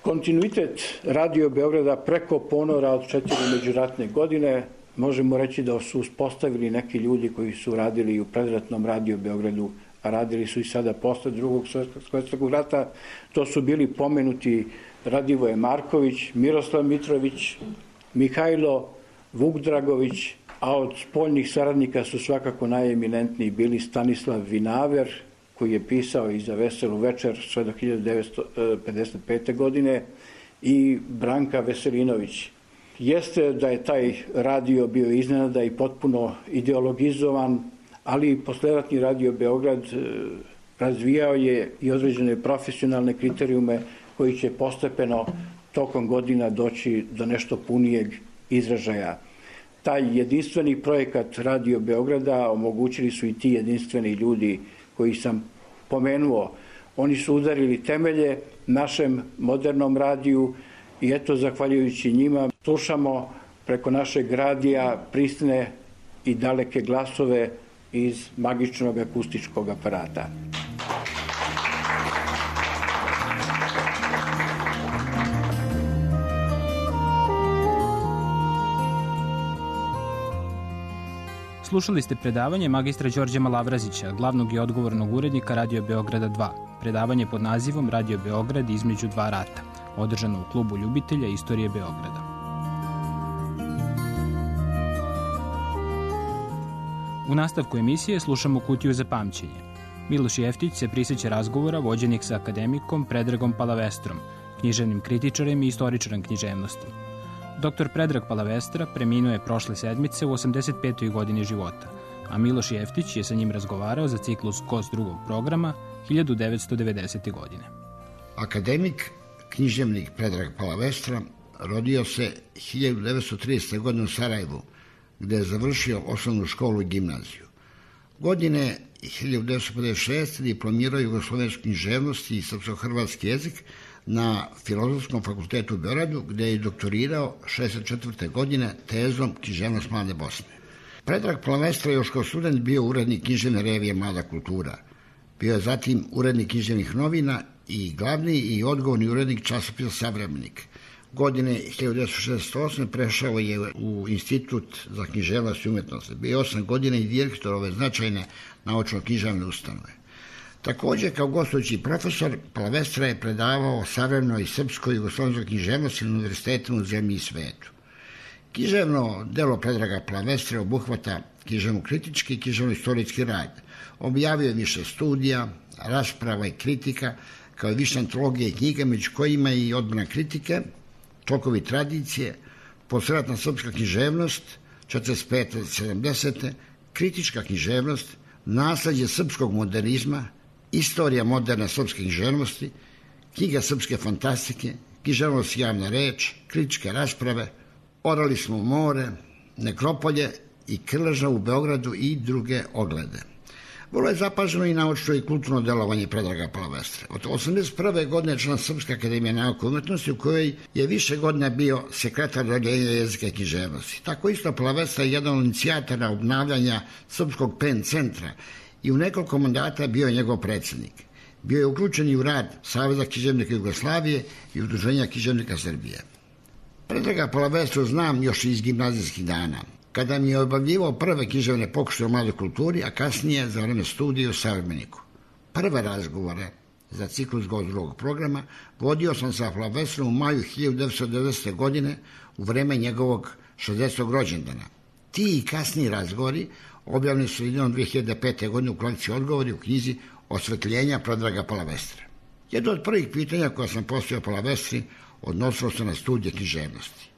Kontinuitet Radio Beograda preko ponora od četiri međuratne godine možemo reći da su uspostavili neki ljudi koji su radili u predratnom Radio Beogradu, a radili su i sada posle drugog svjetskog rata. To su bili pomenuti Radivoje Marković, Miroslav Mitrović, Mihajlo Vuk Dragović, a od spoljnih saradnika su svakako najeminentniji bili Stanislav Vinaver, koji je pisao i za Veselu večer sve do hiljadu devetsto pedeset pete. godine, i Branka Veselinović. Jeste da je taj radio bio iznenada i potpuno ideologizovan, ali i posleratni Radio Beograd razvijao je i određene profesionalne kriterijume koji će postepeno tokom godina doći do nešto punijeg izražaja. Taj jedinstveni projekat Radio Beograda omogućili su i ti jedinstveni ljudi koji sam pomenuo. Oni su udarili temelje našem modernom radiju i eto, zahvaljujući njima, slušamo preko našeg radija prisne i daleke glasove iz magičnog akustičkog aparata. Slušali ste predavanje magistra Đorđa Malavrazića, glavnog i odgovornog urednika Radio Beograda dva. Predavanje pod nazivom Radio Beograd između dva rata, održano u klubu ljubitelja istorije Beograda. U nastavku emisije slušamo Kutiju za pamćenje. Miloš Jeftić se prisjeća razgovora vođenih sa akademikom Predragom Palavestrom, književnim kritičarem i istoričarem književnosti. Doktor Predrag Palavestra preminuo je prošle sedmice u osamdeset petoj godini života, a Miloš Jeftić je sa njim razgovarao za ciklus Kos drugog programa hiljadu devetsto devedesete. godine. Akademik, književnik Predrag Palavestra rodio se hiljadu devetsto tridesete. godine u Sarajevu, gde je završio osnovnu školu i gimnaziju. Godine hiljadu devetsto pedeset šeste. diplomirao jugoslovensku književnost i srpsko-hrvatski jezik na Filozofskom fakultetu u Beogradu, gde je doktorirao šezdeset četvrte. godine tezom Književnost mlade Bosne. Predrag Palavestra još kao student bio urednik književne revije Mlada kultura. Bio je zatim urednik književnih novina i glavni i odgovorni urednik časopisa Savremenik. Godine hiljadu devetsto šezdeset osme prešao je u Institut za književnost i umetnost. Bio osam godina i direktor ove značajne naučno-književne ustanove. Također, kao gostujući profesor, Palavestra je predavao savremenoj srpskoj i jugoslovenskoj književnosti na univerzitetima u zemlji i svetu. Književno delo Predraga Palavestre obuhvata književno-kritički i književno-istorijski rad. Objavio je više studija, rasprava i kritika, kao i više antologije i knjiga, među kojima i Odbrana kritike, Tokovi tradicije, Posleratna srpska književnost, četrdeset pete do sedamdesete, Kritička književnost, Nasleđe srpskog modernizma, Istorija moderne srpske književnosti, Knjiga srpske fantastike, Književnost i javna reč, Kritičke rasprave, Orali smo u more, Nekropolje i Krleža u Beogradu i druge oglede. Vrlo je zapaženo i naučno i kulturno delovanje Predraga Palavestre. Od osamdeset prve godine član Srpske akademije nauke i umetnosti, u kojoj je više godina bio sekretar odeljenja jezika i književnosti. Tako isto Palavestra je jedan od inicijatora obnavljanja Srpskog pen centra i u nekoliko mandata bio je njegov predsjednik. Bio je uključen i u rad Saveza književnika Jugoslavije i Udruženja književnika Srbije. Predraga Palavestru znam još iz gimnazijskih dana, kada mi je obavljivao prve književne pokušaje o mladoj kulturi, a kasnije za vreme studija u Savremeniku. Prve razgovore za ciklus drugog programa vodio sam sa Palavestrom u maju hiljadu devetsto devesete. godine u vreme njegovog šezdesetog rođendana. Ti i kasniji razgovori objavljeni su sredinom dve hiljade pete. godine u kolekciji Odgovori u knjizi Osvetljenja Predraga Palavestre. Jedno od prvih pitanja koja sam postavio Palavestri odnosilo se na studije književnosti.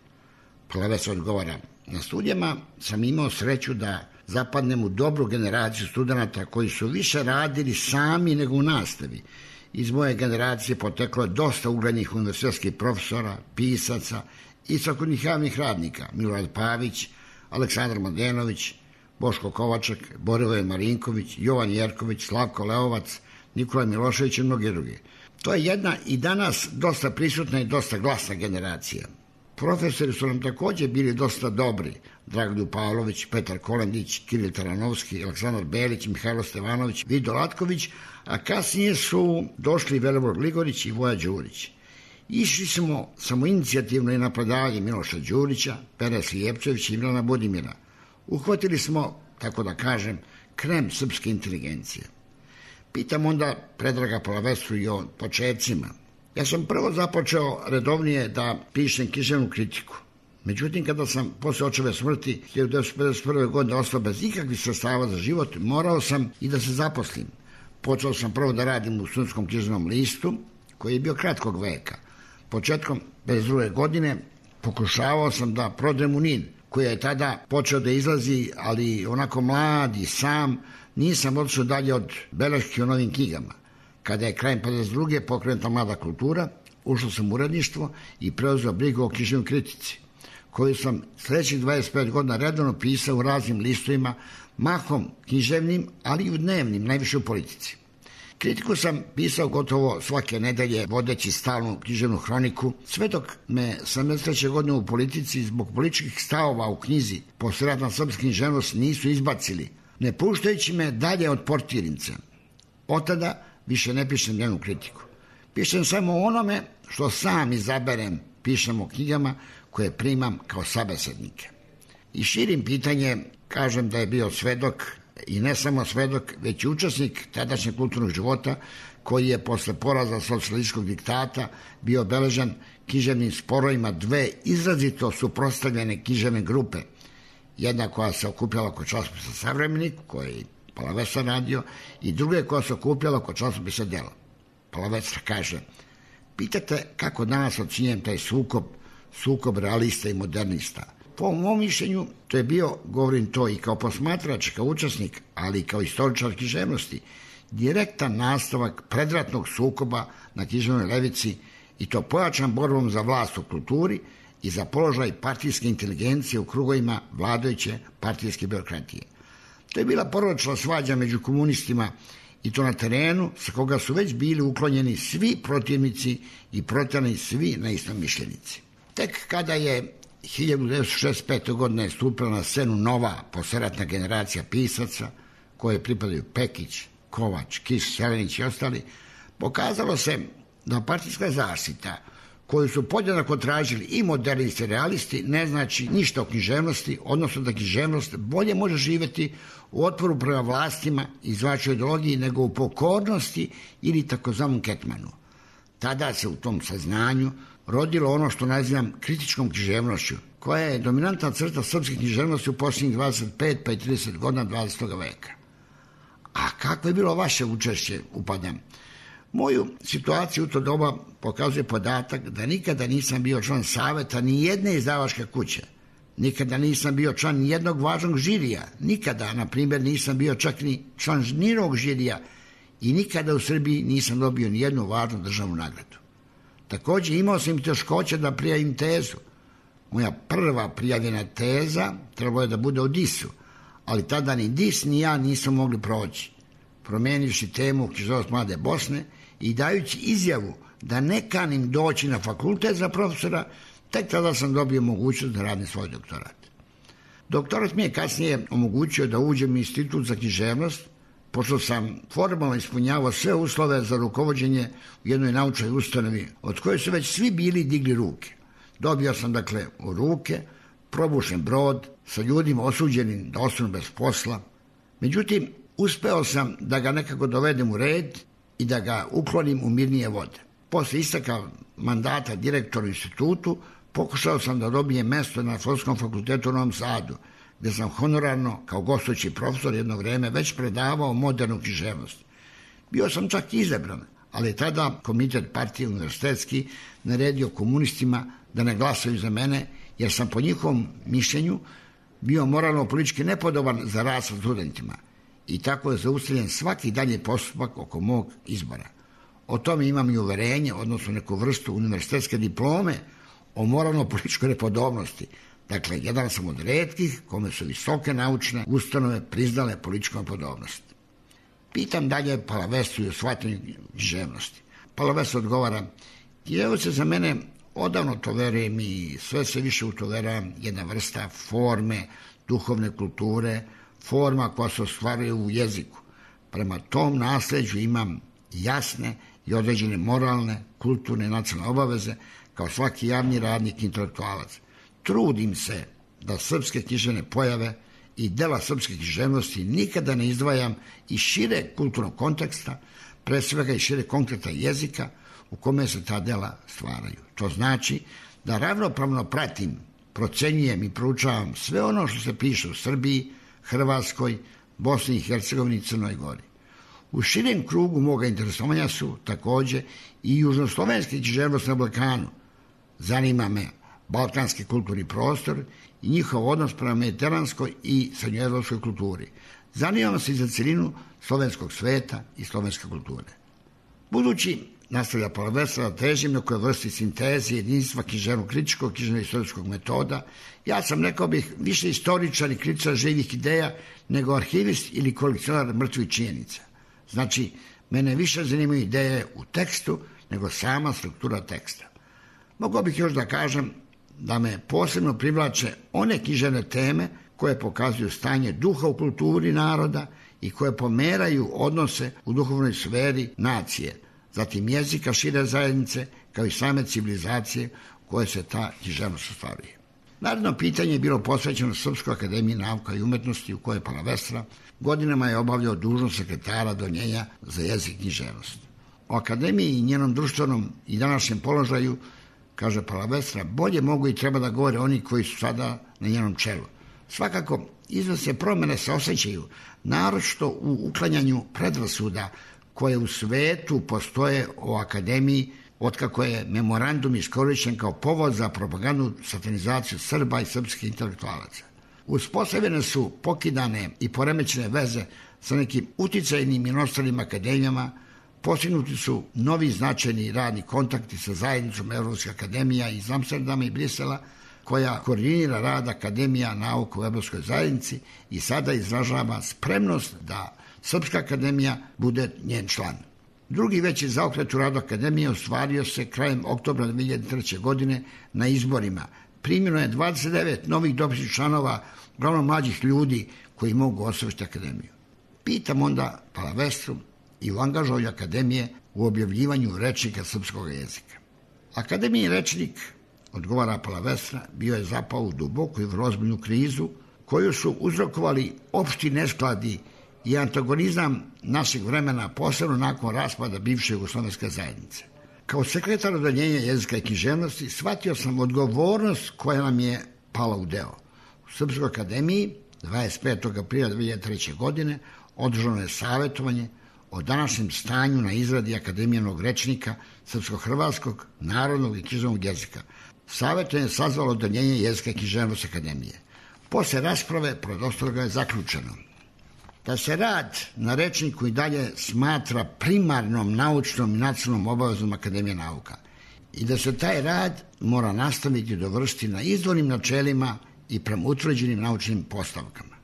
Palavestra odgovara: na studijama sam imao sreću da zapadnem u dobru generaciju studenata koji su više radili sami nego u nastavi. Iz moje generacije poteklo je dosta uglednih univerzitetskih profesora, pisaca i svakodnevnih javnih radnika: Milorad Pavić, Aleksandar Mladenović, Boško Kovačak, Borivoje Marinković, Jovan Jerković, Slavko Leovac, Nikola Milošević i mnogi drugi. To je jedna i danas dosta prisutna i dosta glasna generacija. Profesori su nam također bili dosta dobri: Dragoljub Pavlović, Petar Kolendić, Kiril Taranovski, Aleksandar Belić, Mihajlo Stevanović, Vido Latković, a kasnije su došli Velibor Gligorić i Voja Đurić. Išli smo samoinicijativno i na predavanje Miloša Đurića, Pere Slijepčevića i Milana Budimira. Uhvatili smo, tako da kažem, krem srpske inteligencije. Pitam onda Predraga Palavestru i o početcima. Ja sam prvo započeo redovnije da pišem književnu kritiku. Međutim, kada sam posle očeve smrti hiljadu devetsto pedeset prve. godine ostao bez ikakvih sredstava za život, morao sam i da se zaposlim. Počeo sam prvo da radim u Studentskom književnom listu, koji je bio kratkog veka. Početkom pedeset druge. godine pokušavao sam da prodrem u Nin, koji je tada počeo da izlazi, ali onako mlad i sam, nisam odšao dalje od beleški o novim knjigama. Kada je krajem pedeset druge. pokrenuta Mlada kultura, ušao sam u uredništvo i preuzeo brigu o književnoj kritici, koju sam sljedećih dvadeset pet godina redovno pisao u raznim listovima, mahom književnim, ali i u dnevnim, najviše u politici. Kritiku sam pisao gotovo svake nedelje, vodeći stalnu književnu hroniku, sve dok me sedamdeset treće. godine u politici zbog političkih stavova u knjizi Posleratna srpska književnost nisu izbacili, ne puštajući me dalje od portirnice. Od tada više ne pišem jednu kritiku. Pišem samo onome što sam izaberem, pišem o knjigama koje primam kao sabesednike. I širim pitanje, kažem da je bio svedok, i ne samo svedok, već i učesnik tadašnjeg kulturnog života, koji je posle poraza socijalističkog diktata bio obeležen književnim sporovima dve izrazito suprotstavljene književne grupe. Jedna koja se okupljala oko časopisa Savremenik, koji je Palavestra radio, i druga koja se okupljala oko časopisa Delo. Palavestra kaže: pitate kako danas ocenjujem taj sukob, sukob realista i modernista. Po mom mišljenju, to je bio, govorim to i kao posmatrač, kao učesnik, ali i kao istoričar književnosti, direktan nastavak predratnog sukoba na književnoj levici, i to pojačan borbom za vlast u kulturi i za položaj partijske inteligencije u krugovima vladajuće partijske birokratije. To je bila porodična svađa među komunistima, i to na terenu sa koga su već bili uklonjeni svi protivnici i proterani svi neistomišljenici. Tek kada je hiljadu devetsto šezdeset pete. godine stupila na scenu nova posleratna generacija pisaca, koje pripadaju Pekić, Kovač, Kiš, Selenić i ostali, Pokazalo se da partijska zaštita koju su podjednako tražili i modernisti i realisti ne znači ništa o književnosti, odnosno da književnost bolje može živjeti u otporu prema vlastima i zvačoj ideologiji nego u pokornosti ili takozvanom ketmanu. Tada se u tom saznanju rodilo ono što nazivam kritičkom književnošću, koja je dominantna crta srpske književnosti u posljednjih dvadeset pet pa i trideset godina dvadesetog veka. A kako je bilo vaše učešće, upadam? Moju situaciju u to doba pokazuje podatak da nikada nisam bio član saveta ni jedne izdavačke kuće. Nikada nisam bio član ni jednog važnog žirija. Nikada, na primjer, nisam bio čak ni član nijednog žirija i nikada u Srbiji nisam dobio ni jednu važnu državnu nagradu. Također imao sam i teškoće da prijavim tezu. Moja prva prijavljena teza trebalo je da bude o disu, ali tada ni dis ni ja nismo mogli proći. Promenivši temu književnost mlade Bosne i dajući izjavu da ne kanim doći na fakultet za profesora, tek tada sam dobio mogućnost da radim svoj doktorat. Doktorat mi je kasnije omogućio da uđem u institut za književnost, pošto sam formalno ispunjavao sve uslove za rukovođenje u jednoj naučnoj ustanovi od koje su već svi bili digli ruke. Dobio sam dakle u ruke probušen brod sa ljudima osuđenim da ostanu bez posla. Međutim, uspeo sam da ga nekako dovedem u red i da ga uklonim u mirnije vode. Posle isteka mandata direktoru institutu, pokušao sam da dobijem mesto na Filozofskom fakultetu u Novom Sadu, gde sam honorarno, kao gostujući profesor jedno vreme, već predavao modernu književnost. Bio sam čak izabran, ali je tada komitet partije univerzitetski naredio komunistima da ne glasaju za mene, jer sam po njihovom mišljenju bio moralno-politički nepodoban za rad sa studentima. I tako je zaustavljen svaki dalji postupak oko mog izbora. O tome imam i uverenje, odnosno neku vrstu univerzitetske diplome o moralno-političkoj nepodobnosti. Dakle, jedan sam od retkih kome su visoke naučne ustanove priznale političku nepodobnost. Pitam dalje Palavestu i o shvatanju književnosti. Palavest odgovara: književnost je za mene, odavno to verujem i sve se više u to verujem, jedna vrsta forme, duhovne kulture, forma koja se ostvaruje u jeziku. Prema tom nasleđu imam jasne i određene moralne, kulturne i nacionalne obaveze kao svaki javni radnik i intelektualac. Trudim se da srpske književne pojave i dela srpske književnosti nikada ne izdvajam iz šire kulturnog konteksta, pre svega iz šire konkreta jezika u kome se ta dela stvaraju. To znači da ravnopravno pratim, procenjujem i proučavam sve ono što se piše u Srbiji, Hrvatskoj, Bosni i Hercegovini i Crnoj Gori. U širem krugu moga interesovanja su također i južnoslovenski književnost na Balkanu. Zanima me balkanski kulturni prostor i njihov odnos prema mediteranskoj i srednjoevropskoj kulturi. Zanima se i za celinu slovenskog sveta i slovenske kulture. Budući, nastavlja Palavesta, da težim na kojoj vrsti sinteze jedinstva književno-kritičkog, književno-istorijskog metoda, ja sam, rekao bih, više istoričar i kritičar živih ideja nego arhivist ili kolekcionar mrtvih činjenica. Znači, mene više zanimaju ideje u tekstu nego sama struktura teksta. Mogao bih još da kažem da me posebno privlače one književne teme koje pokazuju stanje duha u kulturi naroda i koje pomeraju odnose u duhovnoj sferi nacije, zatim jezika šire zajednice, kao i same civilizacije koje se ta književnost ostvaruje. Naredno pitanje je bilo posvećeno Srpskoj akademiji nauka i umetnosti, u kojoj Palavestra godinama je obavljao dužnost sekretara donjenja za jezik i književnost. O akademiji i njenom društvenom i današnjem položaju, kaže Palavestra, bolje mogu i treba da govore oni koji su sada na njenom čelu. Svakako, izvesne promjene se osjećaju, naročito u uklanjanju predrasuda koje u svetu postoje o akademiji otkako je memorandum iskorišćen kao povod za propagandu, satanizaciju Srba i srpskih intelektualaca. Uspostavljene su pokidane i poremećene veze sa nekim uticajnim i ostalim akademijama, postignuti su novi značajni radni kontakti sa zajednicom Evropskih akademija iz Amsterdama i Brisela, koja koordinira rad Akademija nauka u Evropskoj zajednici i sada izražava spremnost da Srpska akademija bude njen član. Drugi veći zaokret u radu akademije ostvario se krajem oktobra dve hiljade treće. godine na izborima. Primljeno je dvadeset devet novih dopisnih članova, uglavnom mlađih ljudi koji mogu osvršiti akademiju. Pitam onda Palavestru i u angažovanju Akademije u objavljivanju rečnika srpskog jezika. Akademijin rečnik, odgovara Palavestra, bio je zapao u duboku i ozbiljnu krizu koju su uzrokovali opšti neskladi i antagonizam našeg vremena, posebno nakon raspada bivše jugoslovenske zajednice. Kao sekretar odeljenja jezika i književnosti shvatio sam odgovornost koja nam je pala u deo. U Srpskoj akademiji dvadeset petog aprila dve hiljade treće. godine održano je savjetovanje o današnjem stanju na izradi akademijanog rečnika srpsko-hrvatskog, narodnog i književnog jezika. Savjetovanje je sazvalo odeljenje jezika i književnosti akademije. Posle rasprave pored ostaloga je zaključeno da se rad na rečniku i dalje smatra primarnom naučnom i nacionalnom obavezom Akademije nauka i da se taj rad mora nastaviti i dovršiti na izvornim načelima i prema utvrđenim naučnim postavkama.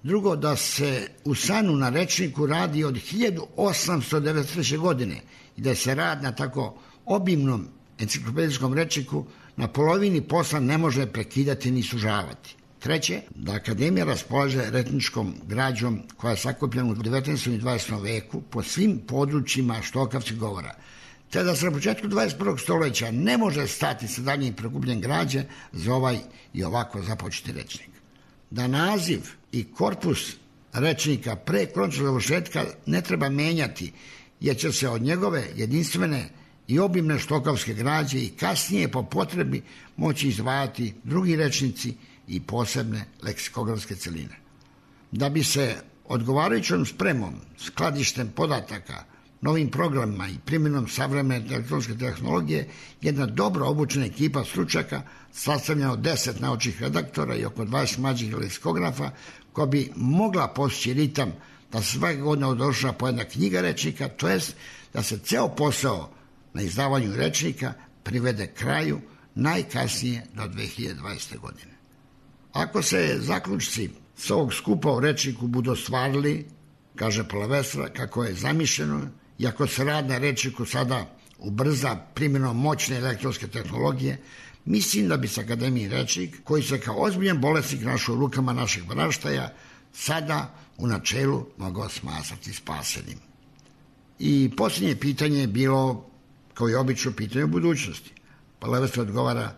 Drugo, da se u Sanu na rečniku radi od hiljadu osamsto devedeset treće. godine i da se rad na tako obimnom enciklopedijskom rečniku na polovini posla ne može prekidati ni sužavati. Treće, da Akademija raspolaže rečničkom građom koja je sakupljena u devetnaestom i dvadesetom veku po svim područjima štokavskih govora, te da se na početku dvadeset prvog stoljeća ne može stati sa daljnjim prikupljenjem građe za ovaj i ovako započeti rečnik. Da naziv i korpus rečnika pre konačnog završetka ne treba menjati, jer će se od njegove jedinstvene i obimne štokavske građe i kasnije po potrebi moći izdvajati drugi rečnici i posebne leksikografske celine. Da bi se odgovarajućom spremom, skladištem podataka, novim programima i primjenom savremene elektronske tehnologije jedna dobro obučena ekipa stručnjaka sastavljena od deset naučnih redaktora i oko dvadeset mlađih leksikografa koja bi mogla postići ritam da se svake godine održava po jedna knjiga rečnika, to jest da se ceo posao na izdavanju rečnika privede kraju najkasnije do dve hiljade dvadesete. godine. Ako se zaključci s ovog skupa u rečniku budu ostvarili, kaže Palavestra, kako je zamišljeno, i ako se rad na rečniku sada ubrza primjenom moćne elektronske tehnologije, mislim da bi se Akademijin rečnik, koji se kao ozbiljan bolesnik našao u rukama našeg naraštaja, sada u načelu mogao smatrati spasenim. I posljednje pitanje je bilo, kao i obično, pitanje o budućnosti. Palavestra odgovara,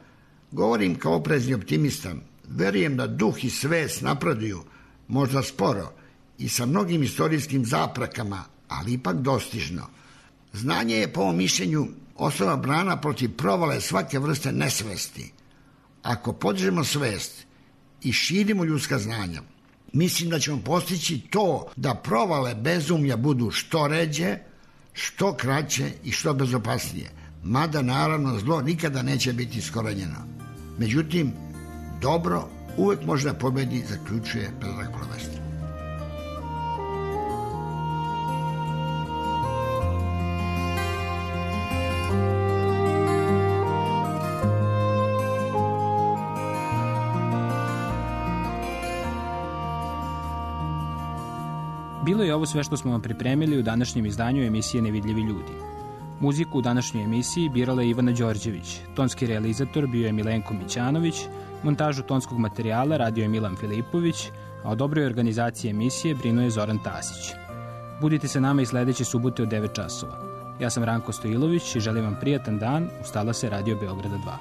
govorim kao oprezni optimista, verujem da duh i svest napreduju, možda sporo, i sa mnogim istorijskim zaprakama, ali ipak dostižno. Znanje je, po ovom mišljenju, osnova brana protiv provale svake vrste nesvesti. Ako podižemo svest i širimo ljudska znanja, mislim da ćemo postići to da provale bezumlja budu što ređe, što kraće i što bezopasnije. Mada, naravno, zlo nikada neće biti iskorenjeno. Međutim, dobro uvek može da pobedi, zaključuje Predrag Palavestra. Bilo je ovo sve što smo vam pripremili u današnjem izdanju emisije Nevidljivi ljudi. Muziku u današnjoj emisiji birala je Ivana Đorđević, tonski realizator bio je Milenko Mićanović, montažu tonskog materijala radio je Milan Filipović, a o dobroj organizaciji emisije brinuo je Zoran Tasić. Budite sa nama i sledeće subote od devet časova. Ja sam Ranko Stojilović i želim vam prijatan dan. Ustala se Radio Beograda dva.